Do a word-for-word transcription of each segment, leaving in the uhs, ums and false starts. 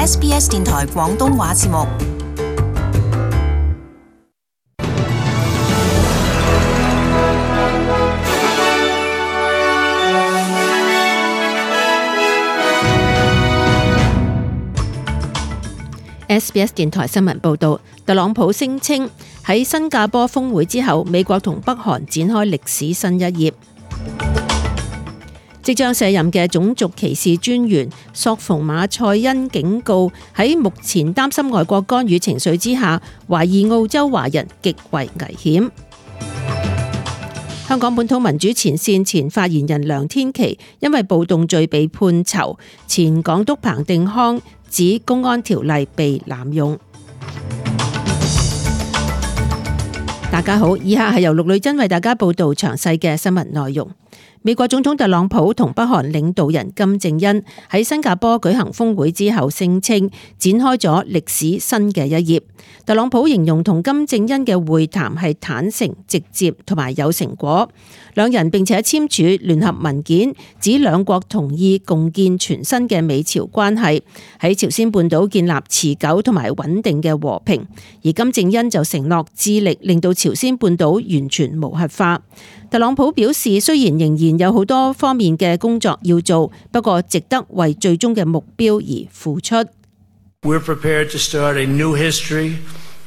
S B S 電台廣東話節目。S B S 電台新聞報道，特朗普聲稱喺新加坡峰會之後，美國同北韓展開歷史新一頁。即將卸任嘅種族歧視專員索馮馬塞恩警告，喺目前擔心外國干預情緒之下，懷疑澳洲華人極為危險。香港本土民主前線前發言人梁天琦因為暴動罪被判囚，前港督彭定康指公安條例被濫用。大家好，以下係由陸女珍為大家報道詳細嘅新聞內容。美國總統特朗普同北韓領導人金正恩喺新加坡舉行峰會之後，聲稱展開咗歷史新嘅一頁。特朗普形容同金正恩嘅會談係坦誠、直接同埋有成果。兩人並且簽署聯合文件，指兩國同意共建全新嘅美朝關係，喺朝鮮半島建立持久同埋穩定嘅和平。而金正恩就承諾致力令到朝鮮半島完全無核化。特朗普表示，雖然仍然有好多方面嘅工作要做，不過值得為最終嘅目標而付出。We're prepared to start a new history,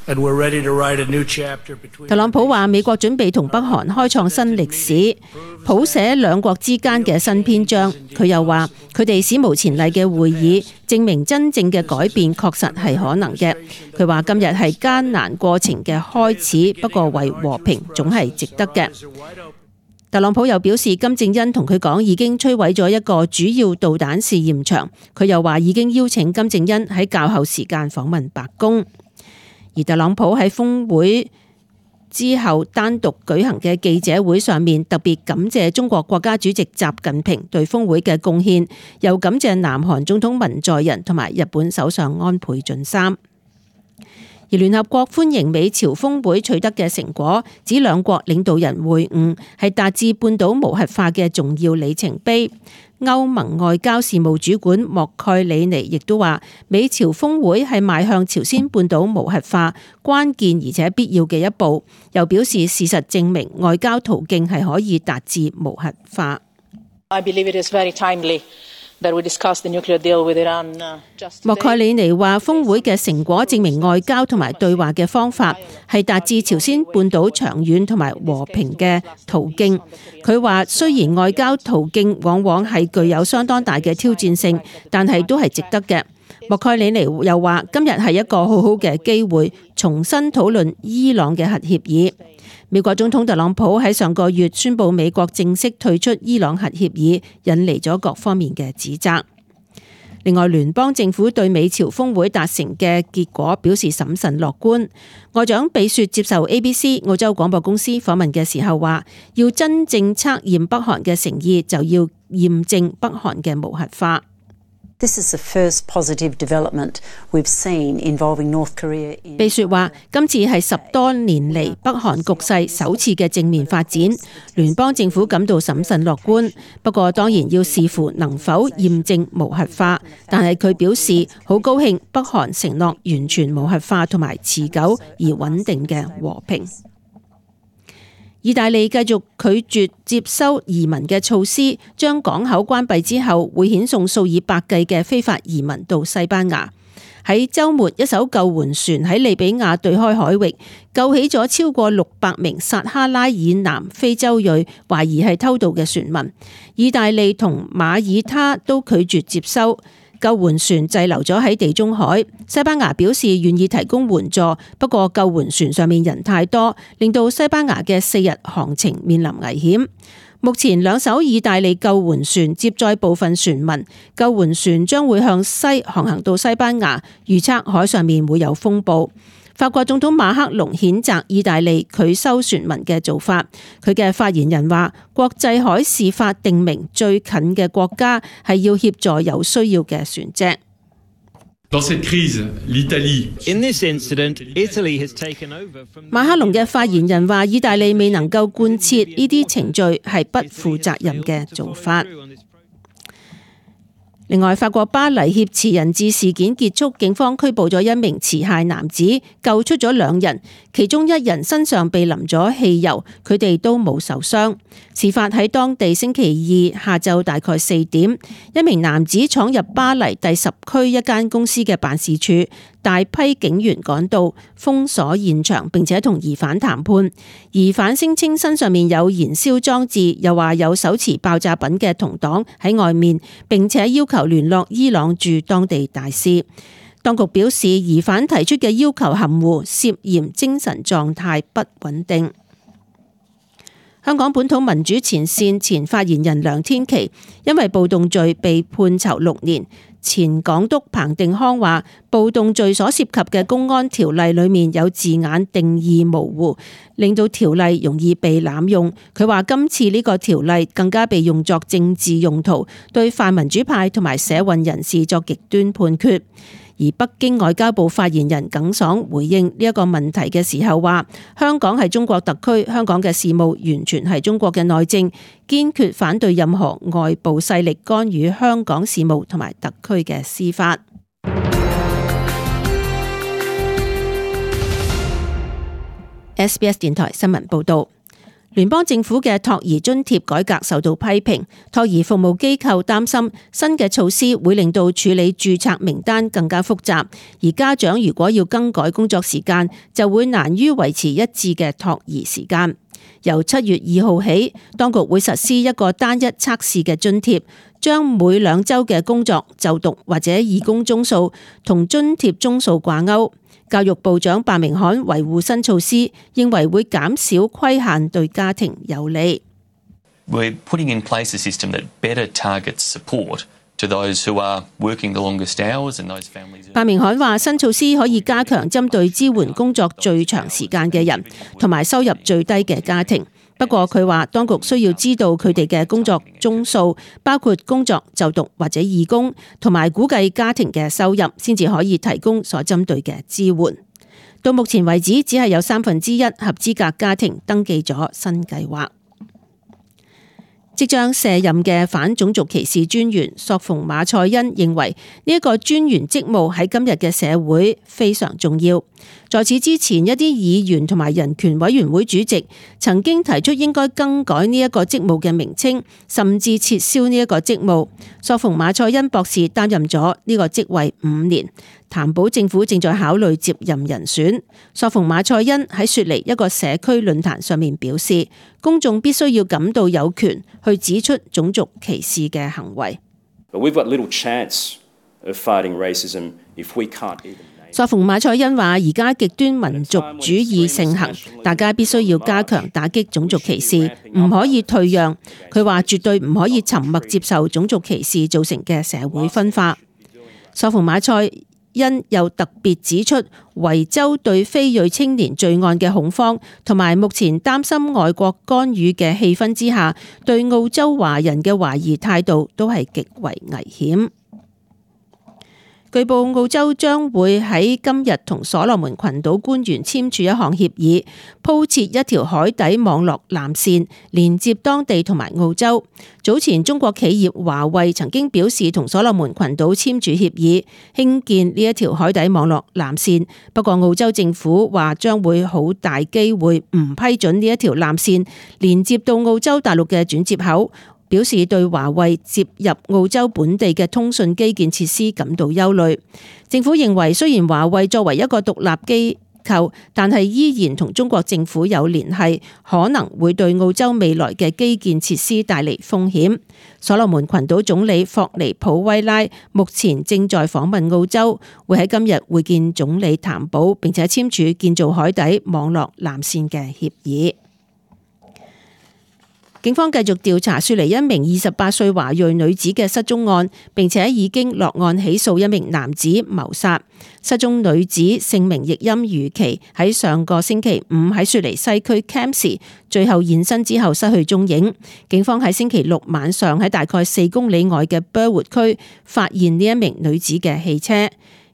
and we're ready to write a new chapter between. 特朗普話：美國準備同北韓開創新歷史，譜寫兩國之間嘅新篇章。佢又話：佢哋史無前例嘅會議，證明真正嘅改變確實係可能嘅。佢話：今日係艱難過程嘅開始，不過為和平總係值得嘅。特朗普又表示，金正恩同佢講已經摧毀咗一個主要導彈試驗場。佢又話已經邀請金正恩喺較後時間訪問白宮。而特朗普喺峰會之後單獨舉行嘅記者會上面，特別感謝中國國家主席習近平對峰會嘅貢獻，又感謝南韓總統文在寅同埋日本首相安倍晉三。而聯合國歡迎美朝峰會取得嘅成果，指兩國領導人會晤係達至半島無核化嘅重要里程碑。歐盟外交事務主管莫蓋里尼亦都話，美朝峰會係邁向朝鮮半島無核化關鍵而且必要嘅一步，又表示事實證明外交途徑係可以達至無核化。I believe it is very timely that we discuss the nuclear deal with Iran just today. 莫蓋里尼話，峰會嘅成果證明外交同埋對話嘅方法係達至朝鮮半島長遠同埋和平嘅途徑。佢話，雖然外交途徑往往係具有相當大嘅挑戰性，但係都係值得嘅。莫蓋里尼又話，今日係一個好好嘅機會，重新討論伊朗嘅核協議。美國總統特朗普喺上個月宣布美國正式退出伊朗核協議，引嚟咗各方面嘅指責。另外，聯邦政府對美朝峰會達成嘅結果表示審慎樂觀。外長比雪接受 A B C 澳洲廣播公司訪問嘅時候話，要真正測驗北韓嘅誠意，就要驗證北韓嘅無核化。This is the first positive development we've seen involving North Korea in. 比雪話，今次係十多年嚟北韓局勢首次嘅正面發展，聯邦政府感到審慎樂觀。不過當然要視乎能否驗證無核化，但係佢表示好高興北韓承諾完全無核化同埋持久而穩定嘅和平。意大利繼續拒絕接收移民嘅措施，將港口關閉之後，會遣送數以百計嘅非法移民到西班牙。喺週末，一艘救援船喺利比亞對開海域救起咗超過六百名撒哈拉以南非洲裔懷疑係偷渡嘅船民。意大利同馬耳他都拒絕接收。救援船滯留咗喺地中海，西班牙表示願意提供援助，不過救援船上面人太多，令到西班牙嘅四日航程面臨危險。目前兩艘意大利救援船接載部分船民，救援船將會向西航行到西班牙，預測海上面會有風暴。法國總統馬克龍譴責意大利拒收船民嘅做法。佢嘅發言人話，國際海事法定明最近嘅國家係要協助有需要嘅船隻。馬克龍嘅發言人話，意大利未能夠貫徹呢啲程序係不負責任嘅做法。另外，法國巴黎挾持人質事件結束，警方拘捕咗一名持械男子，救出咗兩人，其中一人身上被淋咗汽油，佢哋都冇受傷。事發喺當地星期二下晝大概四點，一名男子闖入巴黎第十區一間公司嘅辦事處，大批警員趕到封鎖現場，並且同疑犯談判。疑犯聲稱身上面有燃燒裝置，又話有手持爆炸品嘅同黨喺外面，並且要求聯絡伊朗駐當地大使。當局表示，疑犯提出嘅要求含糊，涉嫌精神狀態不穩定。香港本土民主前線前發言人梁天琦因為暴動罪被判囚六年。前港督彭定康話，暴動罪所涉及嘅公安條例裏面有字眼定義模糊，令到條例容易被濫用。佢話今次呢個條例更加被用作政治用途，對泛民主派同埋社運人士作極端判決。而北京外交部發言人耿爽回應呢一個問題嘅時候話，香港係中國特區，香港嘅事務完全係中國嘅內政，堅決反對任何外部勢力干預香港事務同埋特區嘅司法。S B S 電台新聞報道。聯邦政府嘅托兒津貼改革受到批評，托兒服務機構擔心新嘅措施會令到處理註冊名單更加複雜，而家長如果要更改工作時間，就會難於維持一致嘅托兒時間。由七月二號起，當局會實施一個單一測試嘅津貼，將每兩週嘅工作、就讀或者義工鐘數同津貼鐘數掛鈎。教育部長白明漢維護新措施，認為會減少規限，對家庭有利。We're putting in place a system that better targets support to those who are working the longest hours and those families. 白明漢話，新措施可以加強針對支援工作最長時間嘅人，同埋收入最低嘅家庭。不過佢話，當局需要知道佢哋嘅工作鐘數，包括工作、就讀或者義工，同埋估計家庭嘅收入，先至可以提供所針對嘅支援。到目前為止，只係有三分之一合資格家庭登記咗新計劃。即將卸任嘅反種族歧視專員索馮馬賽恩認為呢一個專員職務喺今日嘅社會非常重要。在此之前，一啲議員同埋人權委員會主席曾經提出應該更改呢一個職務嘅名稱，甚至撤銷呢一個職務。索馮馬賽恩博士擔任咗呢個職位五年，談保政府正在考慮接任人選。索馮馬賽恩喺雪梨一個社區論壇上面表示，公眾必須要感到有權去指出種族歧視嘅行為。索馮馬賽恩話：而家極端民族主義盛行，大家必須要加強打擊種族歧視，唔可以退讓。佢話絕對唔可以沉默接受種族歧視造成嘅社會分化。索馮馬賽恩又特別指出，維州對非裔青年罪案嘅恐慌，同埋目前擔心外國干預嘅氣氛之下，對澳洲華人嘅懷疑態度都係極為危險。據報澳洲將會喺今日同所羅門群島官員簽署一項協議，鋪設一條海底網絡纜線，連接當地同埋澳洲。早前中國企業華為曾經表示同所羅門群島簽署協議，興建呢一條海底網絡纜線。不過澳洲政府話將會好大機會唔批准呢一條纜線連接到澳洲大陸嘅轉接口，表示對華為接入澳洲本地嘅通訊基建設施感到憂慮。政府認為，雖然華為作為一個獨立機構，但係依然同中國政府有聯繫，可能會對澳洲未來嘅基建設施帶嚟風險。所羅門群島總理霍尼普威拉目前正在訪問澳洲，會喺今日會見總理譚寶，並且簽署建造海底網絡纜線嘅協議。警方繼續調查雪梨一名二十八歲華裔女子嘅失蹤案，並且已經落案起訴一名男子謀殺。失蹤女子姓名譯音如琪，喺上個星期五喺雪梨西區 Campsie 最後現身之後失去蹤影。警方喺星期六晚上喺大概四公里外嘅 Burwood 區發現呢一名女子嘅汽車。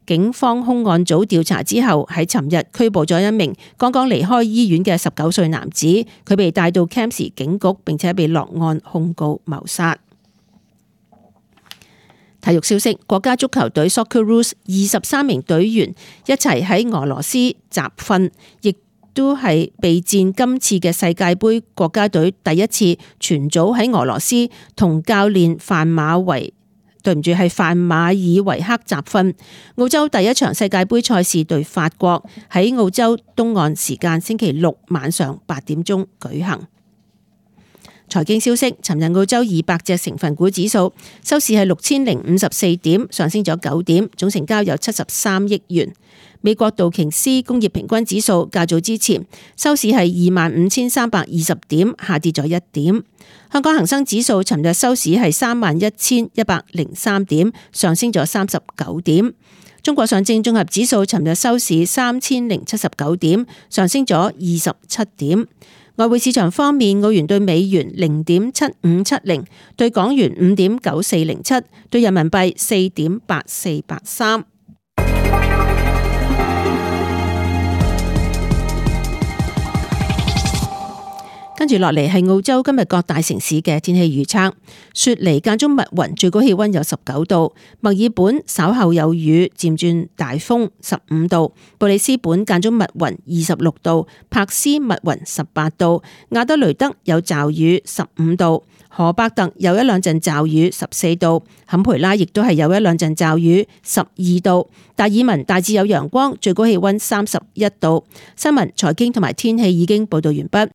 警方兇案組調查之後，喺尋日拘捕咗一名剛剛離開醫院嘅十九歲男子，佢被帶到 Campsie 警局，並且被落案控告謀殺。體育消息，國家足球隊 Socceroos 二十三名隊員一齊喺俄羅斯集訓，亦都係備戰今次嘅世界盃。國家隊第一次全組喺俄羅斯同教練范馬維，對唔住係范馬爾維克集訓。澳洲第一場世界盃賽事對法國喺澳洲東岸時間星期六晚上八點鐘舉行。財經消息，尋日澳洲二百隻成分股指數收市係六千零五十四點，上升咗九點，總成交有七十三億元。美國道瓊斯工業平均指數較早之前收市係二萬五千三百二十點，下跌咗一點。香港恒生指數尋日收市係三萬一千一百零三點，上升咗三十九點。中國上證綜合指數尋日收市三千零七十九點，上升咗二十七點。外匯市場方面，澳元對美元零點七五七零，對港元五點九四零七，對人民幣四點八四八三。跟住落嚟係澳洲今日各大城市嘅天氣預測：雪梨間中密雲，最高氣溫有十九度；墨爾本稍後有雨，漸轉大風，十五度；布里斯本間中密雲，二十六度；柏斯密雲，十八度；亞德雷德有驟雨，十五度；荷伯特有一兩陣驟雨，十四度；坎培拉亦都係有一兩陣驟雨，十二度；達爾文大致有陽光，最高氣溫三十一度。新聞、財經同埋天氣已經報道完畢。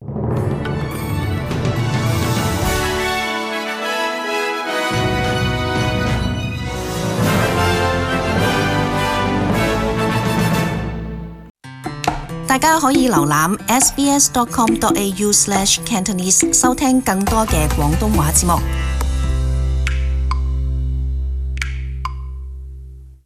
大家可以瀏覽 s b s dot com dot a u slash cantonese 收聽更多嘅廣東話節目。